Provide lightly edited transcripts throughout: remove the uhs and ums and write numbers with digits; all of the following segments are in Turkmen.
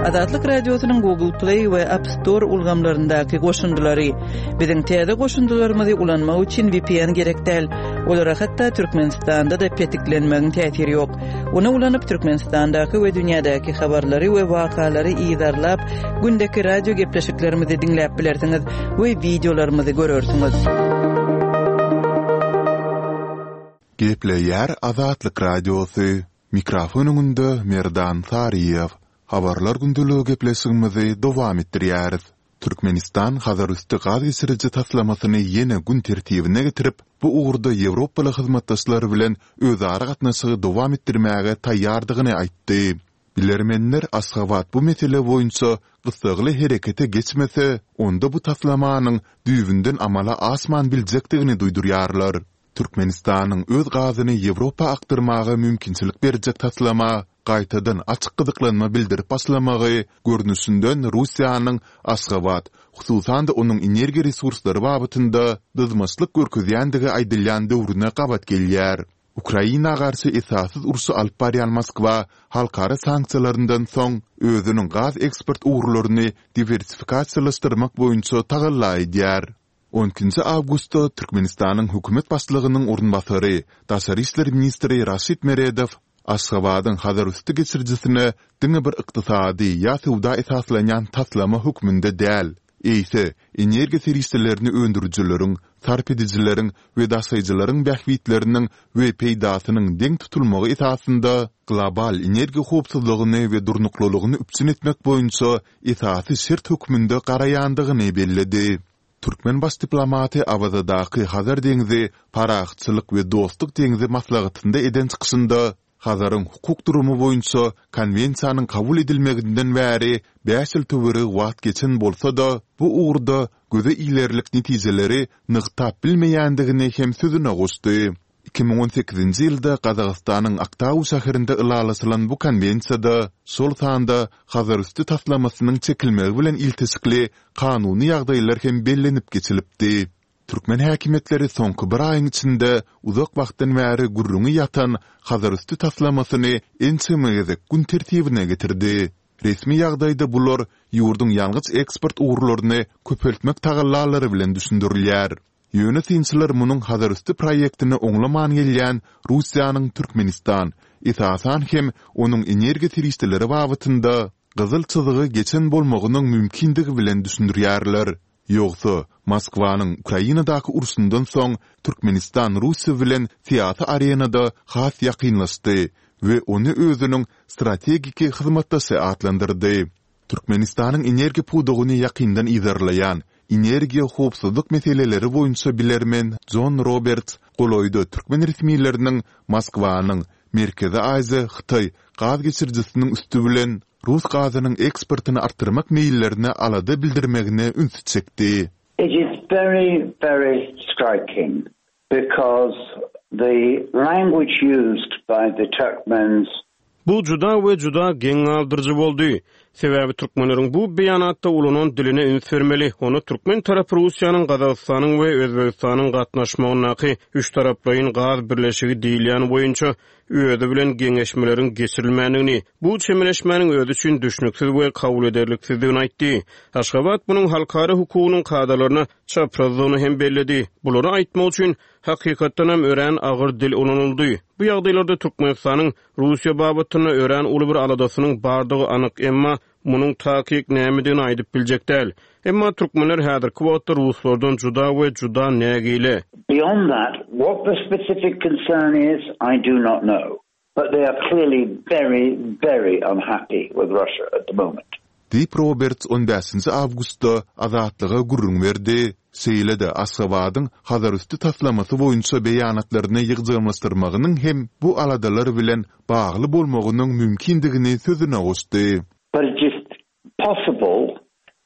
Azatlyk Radiosynyň Google Play we App Store ulgamlaryndaky goşundylary. Biziň täze goşundylarymyzy ulanmak üçin VPN gerek däl. Olara hatda Türkmenistanda-da petiklenmegiň täsiri ýok. Ony ulanyp Türkmenistandaky we dünýädäki habarlary we wakalary yzarlap, gündeki radio gepleşiklerimizi diňläp bilersiňiz we wideolarymyzy görersiňiz. Gepleýär Azatlyk Radiosy, Mikrofon öňünde Merdan Saryýew. Habarlar gündeligi gepleşigimizi dowam etdirýäris. Türkmenistan Hazarüsti gaz geçiriji taslamasyny ýene gün tertibine getirip, bu ugurda ýewropaly hyzmatdaşlar bilen özara gatnaşygy dowam etdirmäge taýýardygyny aýtdy. Bilermenler Aşgabat bu mesele boýunça gyssagly herekete geçmese, onda bu taslamanyň düýbünden amala aşman biljekdigini duýdurýarlar. Türkmenistanyň öz gazyny Ýewropa akdyrmaga mümkinçilik berjek taslama gaýtadan açyk gyzyklanma bildirip başlamagy görnüşinden Russiýanyň Aşgabat, hususan-da onuň energiýa resurslary babatynda dyzmaçlyk görkezýändigi aýdylýan döwrüne gabat gelýär. Ukraina garşy esassyz urşy alyp barýan Moskwa halkara sanksiýalaryndan soň özüniň gaz eksport ugurlaryny diwersifikasiýalaşdyrmak boýunça tagalla edýär. On ikinji awgustda Türkmenistanyň hökümet başlygynyň orunbasary, daşary işler ministri Raşid Meredow Aşgabadyň Hazarüsti geçirijisine diňe bir ykdysady ýa söwda esaslanýan taslama hökmünde däl, eýse, energiýa serişdelerini öndürijileriň, sarp edijileriň we daşaýjylaryň bähbitleriniň we peýdasynyň deň tutulmagy esasynda global energiýa howpsuzlygyny we durnuklylygyny üpjün etmek boýunça esasy şert hökmünde garaýandygyny belledi. Türkmen baş diplomaty Awazadaky Hazar deňzi, parahatçylyk we dostluk deňzi maslahatynda eden çykyşynda Hazaryň hukuk durumy boýunça Konwensiýanyň kabul edilmeginden bäri bäş ýyl töweregi wagt geçen bolsa-da, bu ugurda göze ilerlik netijeleri nygtap bilmeýändigini hem sözüne goşdy. 2018-nji ýylda Gazagystanyň Aktau şäherinde ylalaşylan bu konwensiýada, şol sanda Hazarüsti taslamasynyň çekilmegi bilen ilteşikli kanuny ýagdaýlar hem bellenip geçilipdi. Türkmen häkimiýetleri soňky bir aýyň içinde uzak wagtdan bäri gürrüňi ýatan Hazarüsti taslamasyny ençeme gezek gün tertibine getirdi. Resmi ýagdaýda bular ýurduň ýangyç eksport ugurlaryny köpeltmek tagallalary bilen düşündirilýär. Ýöne synçylar munuň Hazarüsti proýektini oňlaman gelýän Russiýanyň Türkmenistan, esasan hem onuň energiýa serişdeleri babatynda gyzyl çyzygy geçen bolmagynyň mümkindigi bilen düşündirýärler. Ýogsa, Moskwanyň Ukrainadaky urşundan soň Türkmenistan Russiýa bilen syýasy arenada has ýakynlaşdy we ony özüniň strategiki hyzmatdaşy atlandyrdy. Türkmenistanyň energiýa pudagyny ýakyndan yzarlaýan, energiýa howpsuzlyk meseleleri boýunça bilermen Jon Roberts golaýda türkmen resmileriniň Moskwanyň Merkezi Aziýa-Hytaý gaz geçirijisiniň üsti bilen rus gazynyň eksportyny artdyrmak meýillerine alada bildirmegine ünsi çekdi. It is very, very striking because the language used by the Turkmens Bu juda we juda geň galdyryjy boldy. Sebäbi türkmenleriň bu beýanatda ulanan diline üns bermeli. Onda türkmen tarapy Russiýanyň, Gazagystanyň we Özbegistanyň gatnaşmagyndaky üçtaraplaýyn gaz birleşigi diýilýän boýunça özi bilen geňeşmeleriň geçirilmändigini, bu çemeleşmäniň özi üçin düşnüksiz we kabul ederliksizdigini aýtdy. Aşgabat munuň halkara hukugynyň kadalaryna çaprazdygyny hem belledi. Bulary aýtmak üçin, hakykatdanam, örän agyr dil ulanyldy. Bu ýagdaýlarda Türkmenistanyň Russiýa babatynda örän uly bir aladasynyň bardygy anyk, emma munuň takyk nämedigini aýdyp biljek däl. Emma türkmenler häzirki wagtda ruslardan juda we juda nägile. Beyond that, what the specific concern is, I do not know. But they are clearly very, very unhappy with Russia at the moment. Diýip, Roberts on bäşinji awgustda Azatlyga gürrüň berdi. Şeýle-de Aşgabadyň Hazarüsti taslamasy boýunça beýanatlaryny ýygjamlaşdyrmagynyň hem bu aladalar bilen bagly bolmagynyň mümkindigini sözüne goşdy. But it is possible,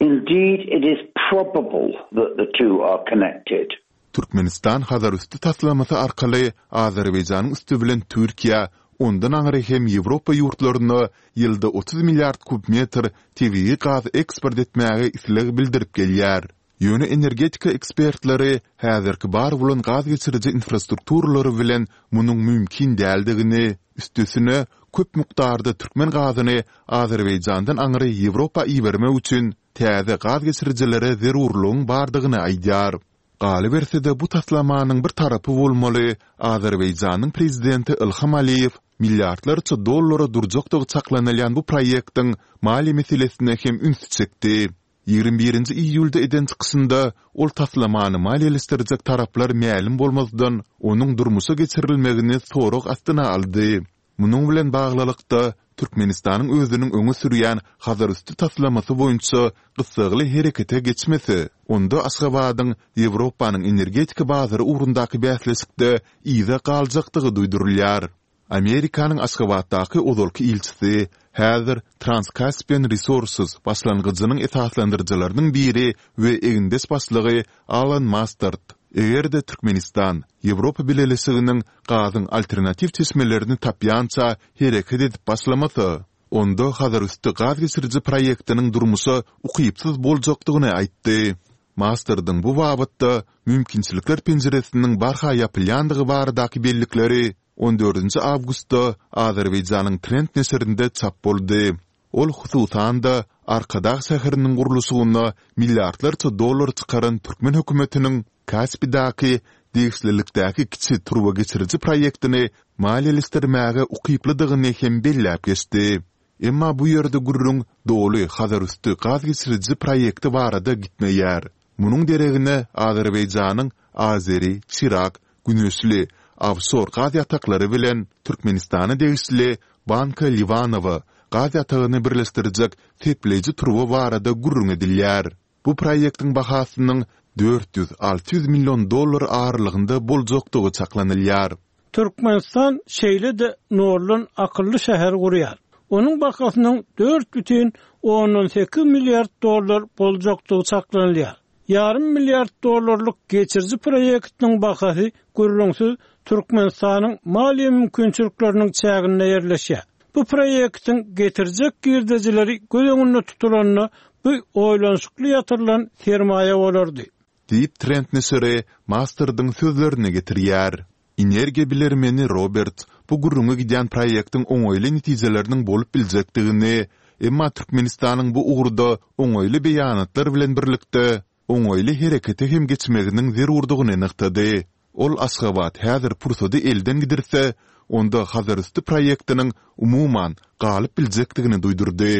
indeed it is probable that the two are connected. Türkmenistan Hazarüsti taslamasy arkaly Azerbaýjanyň üsti bilen Türkiýä, ondan aňry hem Ýewropa ýurtlaryna ýylda 30 milliard kub metr tebigy gaz eksport etmäge isleg bildirip gelýär. Ýöne energetika ekspertleri häzirki bar bolan gaz geçiriji infrastrukturalary bilen munuň mümkin däldigini, üstesine, köp mukdarda türkmen gazyny Azerbaýjandan aňry Ýewropa ibermek üçin täze gaz geçirijilere zerurlygyň bardygyny aýdýar. Galyberse-de, bu taslamanyň bir tarapy bolmaly Azerbaýjanyň prezidenti Ilham Aliýew milliardlarça dollara durjakdygy çaklanylýan bu proýektiň maliýe meselesine hem ünsi çekdi. 21-nji iýulda eden çykyşynda ol taslamany maliýeleşdirjek taraplar mälim bolmazdan, onuň durmuşa geçirilmegini sorag astyna aldy. Munuň bilen baglylykda, Türkmenistanyň özüniň öňe sürýän Hazarüsti taslamasy boýunça gyssagly herekete geçmese, onda Aşgabadyň Ýewropanyň energetika bazary ugrundaky bäsleşikde yza galjakdygy duýdurylýar. Amerikanyň Aşgabatdaky ozalky ilçisi, häzir Trans-Caspian Resources başlangyjynyň esaslandyryjylarynyň biri we egindeş başlygy Alan Mastard, eger-de Türkmenistan Ýewropa Bileleşiginiň gazyň alternatiw çeşmelerini tapýança hereket edip başlamasa, onda Hazarüsti gaz geçiriji proýektiniň durmuşa ukypsyz boljakdygyny aýtdy. Mastardyň bu babatda mümkinçilikler penjiresiniň barha ýapylýandygy baradaky bellikleri on dördünji awgustda Azerbaýjanyň Trend neşirinde çap boldy. Ol, hususan-da, Arkadag şäheriniň gurluşygyna milliardlarça dollar çykaran türkmen hökümetiniň Kaspidäki degişlilikdäki kiçi turbageçiriji proýektini maliýeleşdirmäge ukyplydygyny hem belläp geçdi. Emma bu ýerde gürrüň doly Hazarüsti gaz geçiriji proýekti barada gitmeýär. Munuň deregine Azerbaýjanyň Azeri, Çirak, Güneşli, ofşor gaz ýataklary bilen Türkmenistana degişli Banka Liwanowa gaz ýatagyny birleşdirjek sepleýji turba barada gürrüň edilýär. Bu proýektiň bahasynyň 400-600 million dollar aralygynda boljakdygy çaklanylýar. Türkmenistan şeýle-de noldan akylly şäher gurýar. Onuň bahasynyň 4,8 milliard dollar boljakdygy çaklanylýar. Ýarym milliard dollarlyk geçiriji proýektiniň bahasy gürrüňsiz Türkmenistanyň maliýe mümkinçilikleriniň çäginde ýerleşýär. Bu proýektiň getirjek girdejileri göz öňünde tutulanda bu oýlanyşykly ýatyrylan sermaýa bolardy. Diýip, Trend neşiri Mastardyň sözlerini getirýär. Energiýa bilermeni Roberts bu gürrüňi gidýän proýektiň oňaýly netijeleriniň bolup biljekdigini, emma Türkmenistanyň bu ugurda oňaýly beýanatlar bilen birlikde, oňaýly herekete hem geçmeginiň zerurdygyny nygtady. Ol Aşgabat häzir pursady elden gidirse, onda Hazarüsti proýektiniň umuman galyp biljekdigini duýdurdy.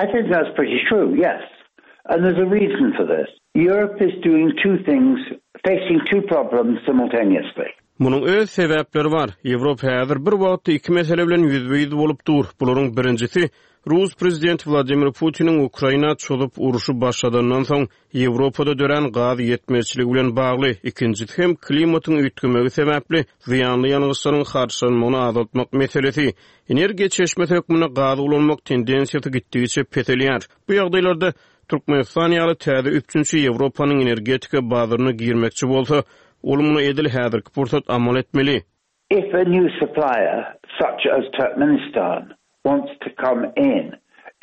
I think that's pretty true, yes. And there's a reason for this. Europe is doing two things, facing two problems simultaneously. Munuň öz sebäpleri bar. Ýewropa häzir bir wagtda iki mesele bilen ýüzbe-ýüz bolup dur. Bularyň birinjisi, rus prezidenti Wladimir Putiniň Ukraina çozup urşy başladandan soň Ýewropada dörän gaz ýetmezçiligi bilen bagly, ikinjisi hem klimatyň üýtgemegi sebäpli zyýanly ýangyçlaryň harçlanmagyny azaltmak meselesi. Energiýa çeşmesi hökmünde gazy ulanmak tendensiýasy gitdigiçe peselýär. Bu ýagdaýlarda Türkmenistan ýaly täze üpjünçi Ýewropanyň energetika bazaryna girmekçi bolsa, ol muny edil häzirki pursat amal etmeli. If a new supplier, such as Turkmenistan, wants to come in,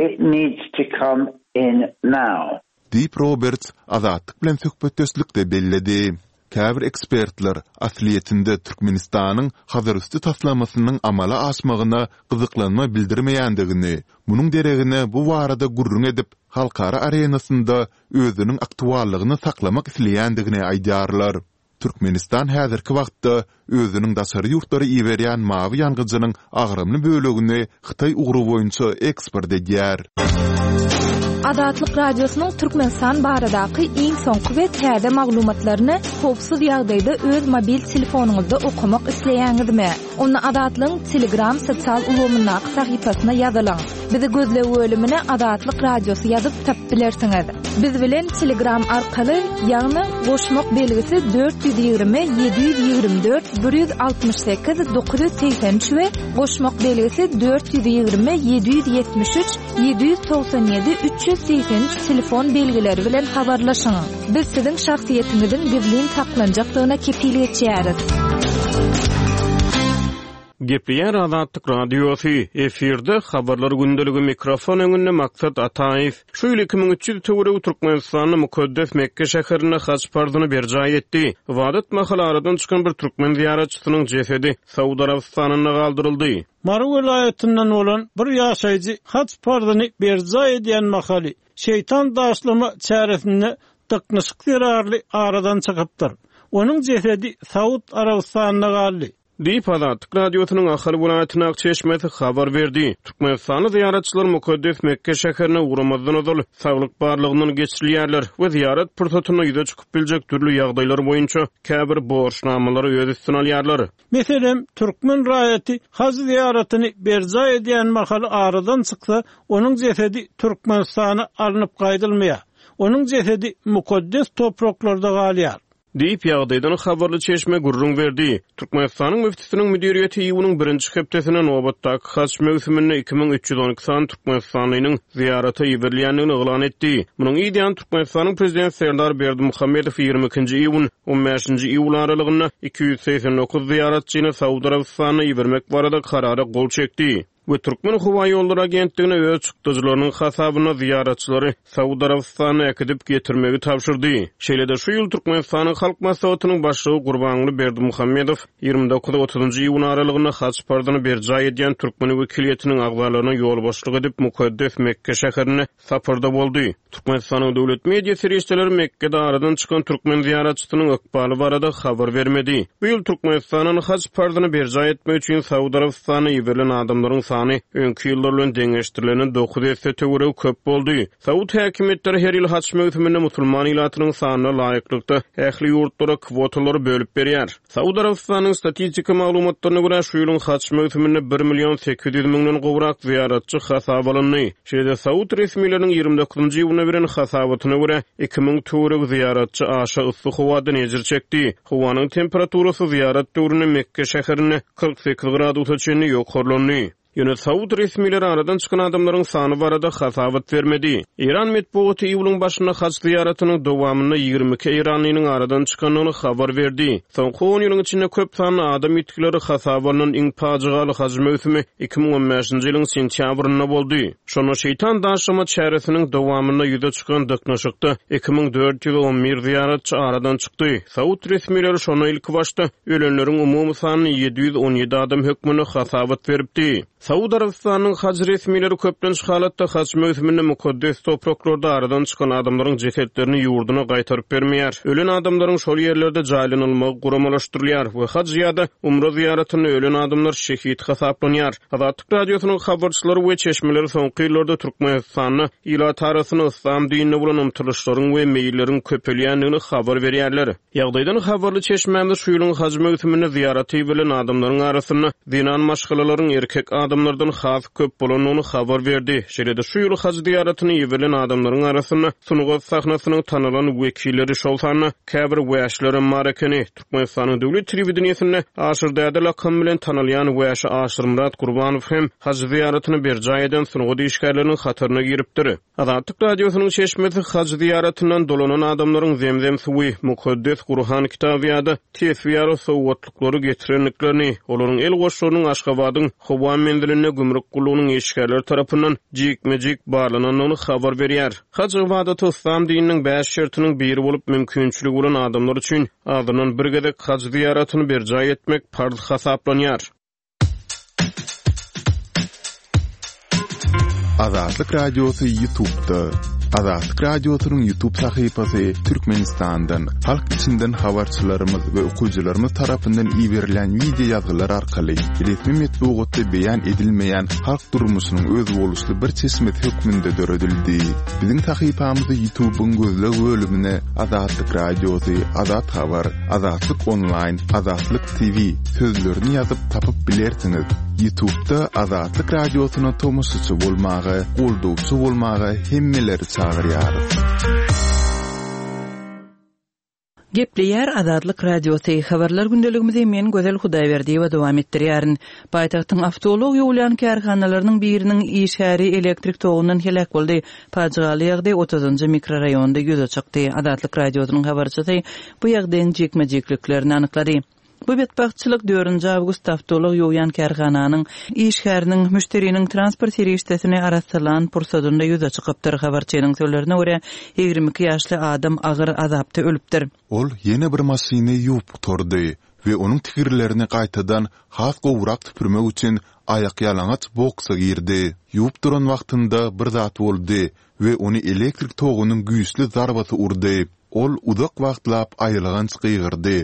it needs to come in now. Diýip, Roberts Azatlyk bilen söhbetdeşlikde belledi. Käbir ekspertler, aslyýetinde, Türkmenistanyň Hazarüsti taslamasynyň amala aşmagyna gyzyklanma bildirmeýändigini, munuň deregine bu barada gürrüň edip, halkara arenasynda özüniň aktuallygyny saklamak isleýändigini aýdýarlar. Türkmenistan häzirki wagtda özüniň daşary ýurtlara iberýän mawy ýangyjynyň agramly bölegini Hytaý ugry boýunça eksport edýär. Azatlyk Radiosynyň Türkmenistan baradaky iň soňky we täze maglumatlaryny howpsuz ýagdaýda öz mobil telefonyňyzda okamak isleýäňizmi? Onda Azatlygyň Telegram sosial ulgamyndaky sahypasyna ýazylyň. Bizi gözleg bölümine Azatlyk Radiosy ýazyp tapyp bilersiňiz. Biz bilen Telegram arkaly, ýagny goşmak belgisi 420 724 168 983 we goşmak belgisi 420 773 797 383 telefon belgileri bilen habarlaşyň. Biz siziň şahsyýetiňiziň gizlin saklanjakdygyna kepil geçýäris. Gepleýär Azatlyk Radiosy, efirde Habarlar gündeligi mikrofon öňünde Maksat Ataýew. Şu ýyl 2300 töweregi türkmenistanly mukaddes Mekge şäherinde haj parzyny berjaý etdi. Ybadat mahaly aradan çykan bir türkmen zyýaratçysynyň jesedi Saud Arabystanynda galdyryldy. Mary welaýatyndan bolan bir ýaşaýjy haj parzyny berjaý edýän mahaly, şeýtan daşlama çäresinde dyknyşyk zerarly aradan çykypdyr. Onuň jesedi Saud Arabystanynda galdy. Diýip, Azatlyk Radiosynyň Ahal welaýatyndaky çeşmesi habar berdi. Türkmenistanly zyýaratçylar mukaddes Mekge şäherine ugramazdan ozal saglyk barlagyndan geçirilýärler we zyýarat pursatynda ýüze çykyp biljek dürli ýagdaýlar boýunça käbir borçnamalary öz üstüne alýarlar. Meselem, türkmen raýaty haj zyýaratyny berjaý edýän mahaly aradan çyksa, onuň jesedi Türkmenistana alnyp gaýdylmaýar. Onuň jesedi mukaddes topraklarda galýar. Diýip, ýagdaýdan habarly çeşme gürrüň berdi. Türkmenistanyň müftüsiniň müdiriýeti iýunyň birinji hepdesinde nobatdaky haj möwsüminde 2312 sany türkmenistanlynyň zyýarata iberilýändigini yglan etdi. Munuň yz ýany Türkmenistanyň Prezidenti Serdar Berdimuhamedow 22-nji iýun, on bäşinji iýul aralygynda 289 zyýaratçyny Saud Arabystanyna ibermek barada Karara gol çekdi. We Türkmenhowaýollary agentligine öz çykdajylarynyň hasabyna zyýaratçylary Saud Arabystanyna äkidip getirmegi tabşyrdy. Şeýle-de şu ýyl Türkmenistanyň Halk Maslahatynyň Başlygy Gurbanguly Berdimuhamedow 29 otuzynjy iýun aralygynda haj parzyny berjaý edýän türkmen wekiliýetiniň agzalaryna ýolbaşçylyk edip mukaddes Mekge şäherinde saparda boldy. Türkmenistanyň döwlet media serişdeleri Mekgede aradan çykan türkmen zyýaratçysynyň ykbaly barada habar bermedi. Bu ýyl Türkmenistandan haj parzyny berjaý etmek üçin Saud Arabystanyna iberilen adamlaryň sany öňki ýyllar bilen deňeşdirilende dokuz esse töweregi köp boldy. Saud häkimiýetleri her ýyl haj möwsüminde musulman ilatynyň sanyna laýyklykda ähli ýurtlara kwotalary bölüp berýär. Saud Arabystanynyň statistika maglumatlaryna görä, şu ýylyň haj möwsüminde bir million 800 müňden gowrak zyýaratçy hasaba alyndy. Şeýle-de saud resmileriniň 29-njy iýunda beren hasabatyna görä, 2000 töweregi zyýaratçy aşa yssy howadan ejir çekdi. Howanyň temperaturasy zyýarat döwründe Mekge şäherinde 48 gradusa çenli ýokarlandy. Ýöne saud resmileri aradan çykan adamlaryň sany barada hasabat bermedi. Eýran metbugaty iýulyň başynda haj zyýaratynyň dowamynda 22 eýranlynyň aradan çykandygyny habar berdi. Soňky on ýylyň içinde köp sanly adam ýitgileri hasaba alnan iň pajygaly haj möwsümi 2015-nji ýylyň sentýabrynda boldy. Şonda şeýtan daşlama çäresiniň dowamynda ýüze çykan dyknyşykda 2411 zyýaratçy aradan çykdy. Saud resmileri şonda ilkibaşda ölenleriň umumy sanyny 717 adam hökmünde hasabat beripdi. Saud Arabystanynyň haj resmileri köplenç halatda haj möwsüminde mukaddes topraklarda aradan çykan adamlaryň jesetlerini ýurduna gaýtaryp bermeýär. Ölen adamlaryň şol ýerlerde jaýlanylmagy guramalaşdyrylýar we haj ýa-da umra zyýaratynda ölen adamlar şehit hasaplanýar. Azatlyk Radiosynyň habarçylary we çeşmeleri soňky ýyllarda Türkmenistanda ilat arasynda yslam dinine bolan ymtylyşlaryň we meýilleriň köpelýändigini habar berýärler. Ýagdaýdan habarly çeşmämiz şu ýylyň haj möwsüminde zyýarata iberilen adamlaryň arasynda zenan maşgalalaryň erkek adamlardan has köp bolandygyny habar berdi. Şeýle-de şu ýyl haj zyýaratyna iberilen adamlaryň arasynda sungat sahnasynyň tanalan wekilleri, şol sanda käbir wäşilerem bar ekeni. Türkmenistanyň döwlet telewideniýesinde Aşyr däde lakamy bilen tanalýan wäşi Aşyrmyrat Gurbanow hem haj zyýaratyny berjaý eden sungat işgärleriniň hataryna giripdir. Azatlyk Radiosynyň çeşmesi haj zyýaratyndan dolanan adamlaryň zemzem suwy, mukaddes Gurhan kitaby ýa-da tesbi ýaly sowgatlyklary getirendiklerini, olaryň el goşlarynyň Aşgabadyň howa menzilinde gümrük gullugynyň işgärleri tarapyndan jikme-jik barlanandygyny habar berýär. Haj ybadaty yslam dininiň bäş şertiniň biri bolup, mümkinçiligi bolan adamlar üçin azyndan bir gezek haj zyýaratyny berjaý etmek parz hasaplanýar. Azatlyk Radiosy YouTube'da. Azatlyk Radiosynyň YouTube sahypasy Türkmenistandan, halk içinden habarçylarymyz we okyjylarymyz tarapyndan iberilen wideo ýazgylar arkaly resmi metbugatda beýan edilmeýän halk durmuşynyň özboluşly bir çeşmesi hökmünde döredildi. Biziň sahypamyzy YouTube'yň gözleg bölümine Azatlyk Radiosy, Azat Habar, Azatlyk Onlaýn, Azatlyk TV sözlerini ýazyp tapyp bilersiňiz. Ýutubda Azatlyk Radiosyna tomaşaçy bolmaga, goldawçy bolmaga hemmeleri çagyrýarys. Gepleýär Azatlyk Radiosy, Habarlar gündeligimizi men Gözel Hudaýberdiýewa dowam etdirýärin. Paýtagtyň awtoulag ýuwulýan kärhanalarynyň biriniň işgäri elektrik togundan heläk boldy. Pajygaly ýagdaý otuzynjy mikroraýonda ýüze çykdy. Azatlyk Radiosynyň habarçysy bu ýagdaýyň jikme-jikliklerini anyklady. Bu betbagtçylyk dördünji awgustda awtoulag ýuwýan kärhananyň işgäriniň müşderiniň transport serişdesini arassalan pursadynda ýüze çykypdyr. Habarçynyň sözlerine görä, 22 ýaşly adam agyr azapda ölüpdir. Ol ýene bir maşyny ýuwup gutardy we onuň tigirlerini gaýtadan has gowurak süpürmek üçin aýakýalaňaç boksa girdi. Ýuwup duran wagtynda bir zat boldy we ony elektrik togunyň güýçli zarbasy urdy. Ol uzak wagtlap aýylganç gygyrdy.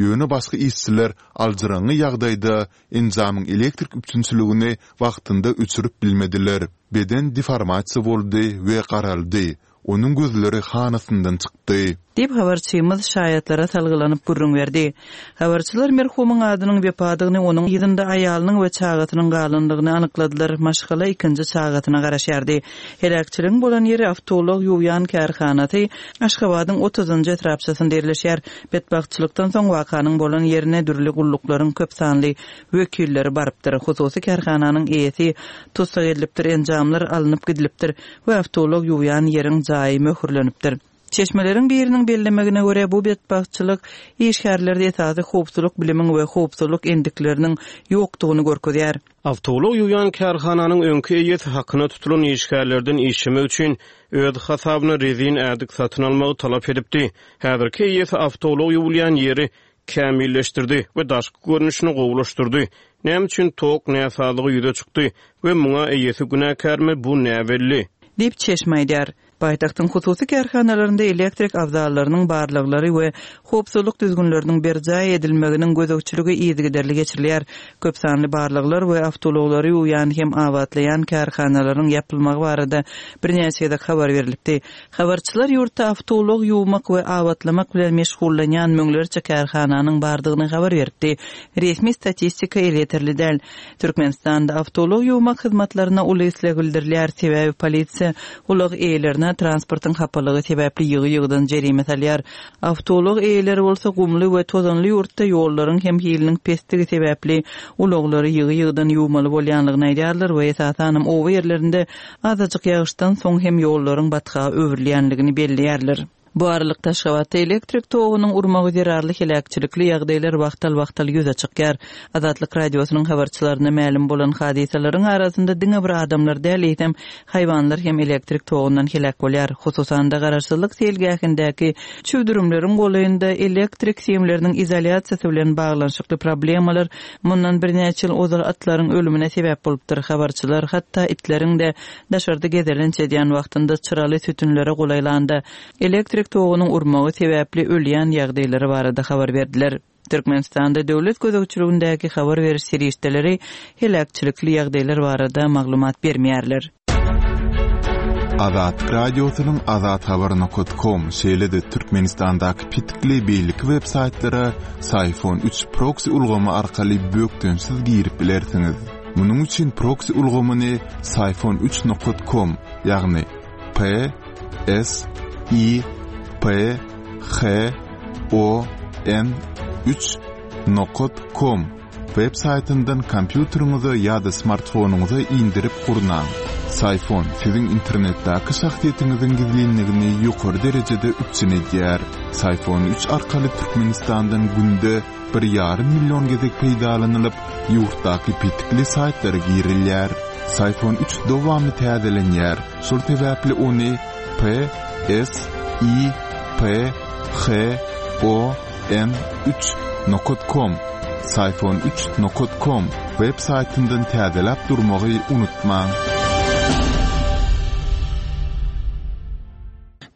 Ýöne başga işçiler aljyraňňy ýagdaýda enjamyň elektrik üpjünçiligini wagtynda öçürip bilmediler. Beden deformasiýa boldy we garaldy, Onuň gözleri hanasyndan çykdy. Diýip, habarçymyz şaýatlara salgylanyp gürrüň berdi. Habarçylar merhumyň adynyň Wepadygyny, onuň yzynda aýalynyň we çagasynyň galandygyny anykladylar. Maşgala ikinji çagasyna garaşýardy. Heläkçiligiň bolan ýeri awtoulag ýuwýan kärhanasy Aşgabadyň otuzynjy etrapçasynda ýerleşýär. Betbagtçylykdan soň wakanyň bolan ýerine dürli gulluklaryň köp sanly wekilleri barypdyr. Hususy kärhananyň eýesi tussag edilipdir, enjamlar alnyp gidilipdir. we awtoulag ýuwýan ýeriň jaýy möhürlenipdir. Çeşmeleriň biriniň bellemegine görä, bu betbagtçylyk işgärlerde esasy howpsuzlyk bilimiň we howpsuzlyk endikleriniň ýokdugyny görkezýär. Awtoulag ýuwýan kärhananyň öňki eýesi hakyna tutulan işgärlerden işlemek üçin öz hasabyna rezin ädik satyn almagy talap edipdi. Häzirki eýesi awtoulag ýuwulýan ýeri kämilleşdirdi we daşky görnüşini gowulaşdyrdy. Näme üçin tok näsazlygy ýüze çykdy we muňa eýesi günäkärmi, bu näbelli. Diýip, çeşme aýdýar. Paýtagtyň hususy kärhanalarynda elektrik abzallarynyň barlaglary we howpsuzlyk düzgünleriniň berjaý edilmeginiň gözegçiligi yzygiderli geçirilýär. Köp sanly barlaglar we awtoulaglary ýuwýan hem abatlaýan kärhanalaryň ýapylmagy barada birnäçe gezek habar berlipdi. Habarçylar ýurtda awtoulag ýuwmak we abatlamak bilen meşgullanýan müňlerçe kärhananyň bardygyny habar beripdi. Resmi statistika elýeterli däl. Türkmenistanda awtoulag ýuwmak hyzmatlaryna uly isleg bildirilýär, sebäbi polisiýa ulag eýelerine transportyň hapalygy sebäpli ýygy-ýygydan jerime salýar. Awtoulag eýeleri bolsa gumly we tozanly ýurtda ýollaryň hem hiliniň pesdigi sebäpli ulaglary ýygy-ýygydan ýuwmaly bolýanlygyny aýdýarlar we esasanam oba ýerlerinde Azajyk ýagyşdan soň hem ýollaryň batga öwrülýänligini belleýärler. Bu aralykda Aşgabatda elektrik togunyň urmagy zerarly heläkçilikli ýagdaýlar wagtal-wagtal ýüze çykýar. Azatlyk Radiosynyň habarçylaryna mälim bolan hadysalaryň arasynda diňe bir adamlar däl, eýsem, haýwanlar hem elektrik togundan heläk bolýar. Hususan-da, Garaşsyzlyk seýilgähindäki çüwdürimleriň golaýynda elektrik simleriniň izolýasiýasy bilen baglanyşykly problemalar Mundan birnäçe ýyl ozal atlaryň ölümine sebäp bolupdyr. Habarçylar hatda itleriň-de daşarda gezelenç edýän wagtynda çyraly sütünlere golaýlanda, elektrik togunyň urmagy sebäpli ölýän ýagdaýlary barada habar berdiler. Türkmenistanda döwlet gözegçiligindäki habar beriş serişdeleri heläkçilikli ýagdaýlar barada maglumat bermeýärler. Azatlyk Radiosynyň Azathabar nokat kom, şeýle-de Türkmenistandaky petikli beýleki web saýtlara Syfon üç proksi ulgamy arkaly bökdençsiz girip bilersiňiz. Munuň üçin proksi ulgamyny Syfon üç nokat kom, ýagny P S I P H O N üç nokat kom Web saýtyndan kompýuteriňize ýa-da smartfonyňyza indirip gurnaň. Syfon siziň internetdäki şahsyýetiňiziň gizlinligini ýokary derejede üpjün edýär. Syfon üç arkaly Türkmenistandan günde bir ýarym million gezek peýdalanylyp, ýurtdaky petikli saýtlara girilýär. Syfon üç dowamly täzelenýär, şol sebäpli ony P S I P H O N üç nokat kom Syfon üç nokat kom web saýtyndan täzeläp durmagy unutmaň.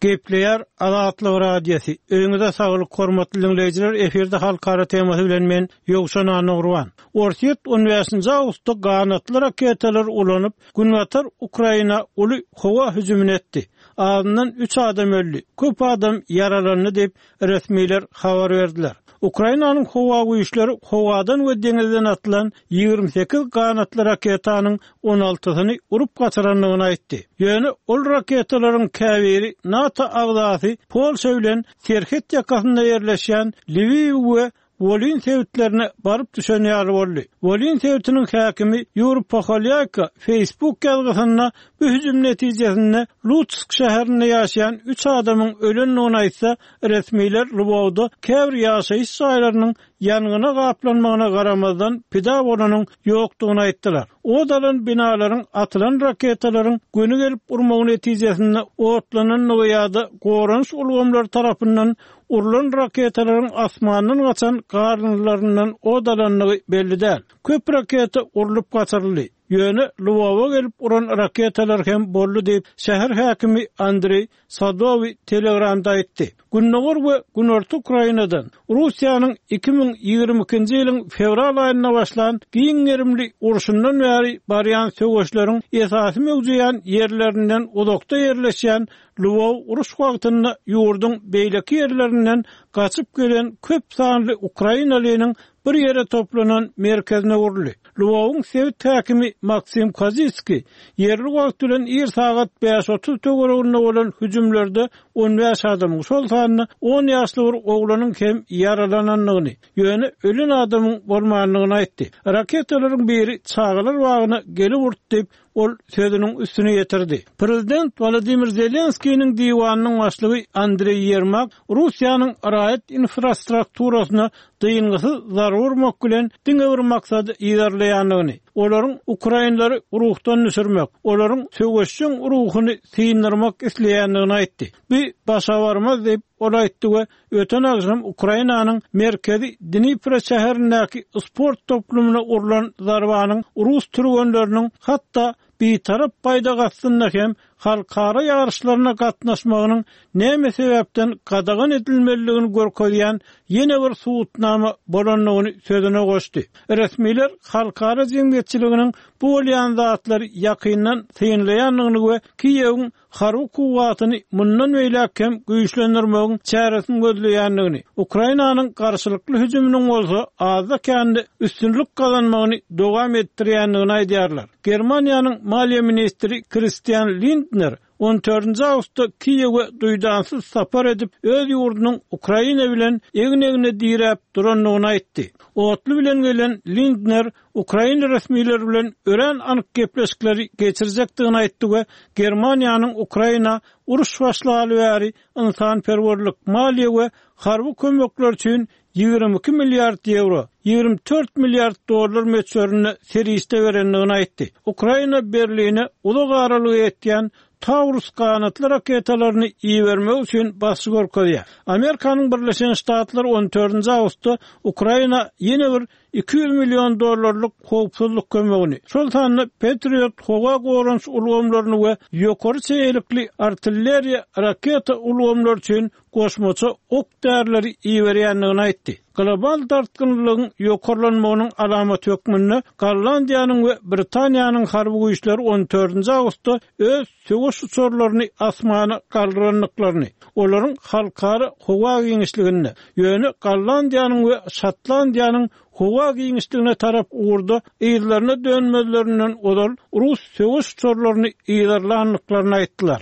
Gepleýär Azatlyk Radiosy. Öýüňize saglyk hormatly diňleýjiler efirde halkara temasy bilen men Ýowşan Annagurban. Orsýet on bäşinji awgustda ganatly raketalary ulanyp, günbatar Ukraina uly howa hüjümini etdi. Azyndan üç adam öldi, köp adam ýaralandy diýip, resmiler habar berdiler. Ukrainanyň howa güýçleri howadan we deňizden atylan 28 ganatly raketanyň on altysyny urup gaçyrandygyny aýtdy. Ýöne ol raketalaryň käbiri NATO agzasy Polşa bilen serhet ýakasynda ýerleşýän Lwiw we Wolyn sebitlerine baryp düşen ýaly boldy. Wolyn sebitiniň häkimi Ýuri Poholýaýko Facebook ýazgysynda bu hüjüm netijesinde Lutsk şäherinde ýaşaýan üç adamyň ölendigini aýtsa, resmiler Lwowda käbir ýaşaýyş jaýlarynyň ýangyna gaplanmagyna garamazdan, pida bolanyň ýokdugyny aýtdylar. Ot alan binalaryň atylan raketalaryň göni gelip urmagy netijesinde otlanandygy ýa-da goranyş ulgamlary tarapyndan urlan raketalaryň asmandan gaçan galyndylaryndan ot alandygy belli däl. Köp raketa urlup gaçyryldy. Ýöne Lwowa gelip uran raketalar hem boldy diýip, şäher häkimi Andreý Sadowy Telegramda aýtdy. Gündogar we Günorta Ukrainadan Russiýanyň 2022-nji ýylyň fewral aýynda başlan giň gerimli urşundan bäri barýan söweşleriň esasy möwjeýän ýerlerinden uzakda ýerleşýän Lwow uruş wagtynda ýurduň beýleki ýerlerinden gaçyp gelen köp sanly ukrainalynyň bir ýere toplanan merkezine uruldy. Lwowyň sebit häkimi Maksim Kozitskiý ýerli wagt bilen ir sagat bäş 30 töwereginde bolan hüjümlerde 15 adamyň, şol sanda on ýaşly bir oglanyň hem ýaralanandygyny, ýöne ölen adamyň bolmandygyny aýtdy. Raketalaryň biri çagalar bagyna gelip urdy diýip, ol sözüniň üstüni ýetirdi. Prezident Wolodymyr Zelenskiniň diwanynyň başlygy Andreý Ýermak Russiýanyň raýat infrastrukturasyna dyngysyz zarba urmak bilen diňe bir maksady yzarlaýandygyny, olaryň ukrainlary ruhdan düşürmek, olaryň söweşjeň ruhuny syndyrmak isleýändigini aýtdy. Bu başa barmaz diýip, ol aýtdy we Öten agşam Ukrainanyň merkezi Dnipro şäherindäki sport toplumyna urlan zarbanyň rus türgenleriniň hatda bitarap baýdak astynda hem halkara ýaryşlaryna gatnaşmagynyň näme sebäpden gadagan edilmelidigini görkezýän ýene bir subutnama bolandygyny sözüne goşdy. Resmiler halkara jemgyýetçiliginiň bu bolýan zatlary ýakyndan synlaýandygyny we Kiýewiň harby kuwwatyny mundan beýläk hem güýçlendirmegiň çäresini gözleýändigini, Ukrainanyň garşylykly hüjüminiň bolsa azda-kände üstünlik gazanmagyny dowam etdirýändigini aýdýarlar. Germaniýanyň maliýe ministri Kristian Lindner on dördünji awgustda Kiýewe duýdansyz sapar edip, öz ýurdunyň Ukraina bilen egin-egne diräp durandygyny aýtdy. Otly bilen gelen Lindner ukrain resmileri bilen örän anyk gepleşikleri geçirjekdigini aýtdy we Germaniýanyň Ukraina uruş başlaly bäri ynsanperwerlik, maliýe we harby kömekler üçin 22 milliard ýewro, 24 milliard dollar möçberinde serişde berendigini aýtdy. Ukraina Berline uzak aralyga ýetýän Taurus ganatly raketalaryny ibermek üçin basyş görkezýär. Amerikanyň Birleşen Ştatlary on dördünji awgustda Ukraina ýene bir 200 million dollarlyk howpsuzlyk kömegini, şol sanda Patriot howa goranyş ulgamlaryny we ýokary çeýelikli artilleriýa raketa ulgamlary üçin goşmaça ok-därileri iberýändigini aýtdy. Global dartgynlylygyň ýokarlanmagynyň alamaty hökmünde Gollandiýanyň we Britaniýanyň harby güýçleri on dördünji awgustda öz söweş uçarlaryny asmana galdyrandyklaryny, olaryň halkara howa giňişliginde, ýöne Gollandiýanyň we Şotlandiýanyň howa giňişligine tarap ugurda yzlaryna dönmezlerinden ozal rus söweş uçarlaryny yzarlandyklaryny aýtdylar.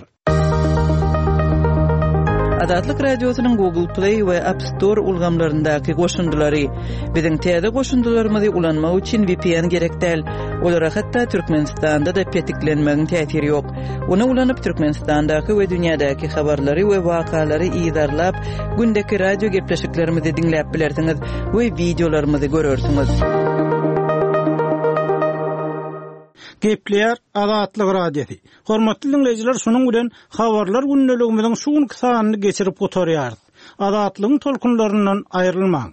Azatlyk Radiosynyň Google Play we App Store ulgamlaryndaky goşundylary. Biziň täze goşundylarymyzy ulanmak üçin VPN gerek däl. Olara hatda Türkmenistanda-da petiklenmegiň täsiri ýok. Ony ulanyp Türkmenistandaky we dünýädäki habarlary we wakalary yzarlap, gündeki radio gepleşiklerimizi diňläp bilersiňiz we wideolarymyzy görersiňiz. Gepleýär Azatlyk Radiosy. Hormatly diňleýjiler şunuň bilen Habarlar gündeligimiziň şu günki sanyny geçirip gutarýarys. Azatlygyň tolkunlaryndan aýrylmaň.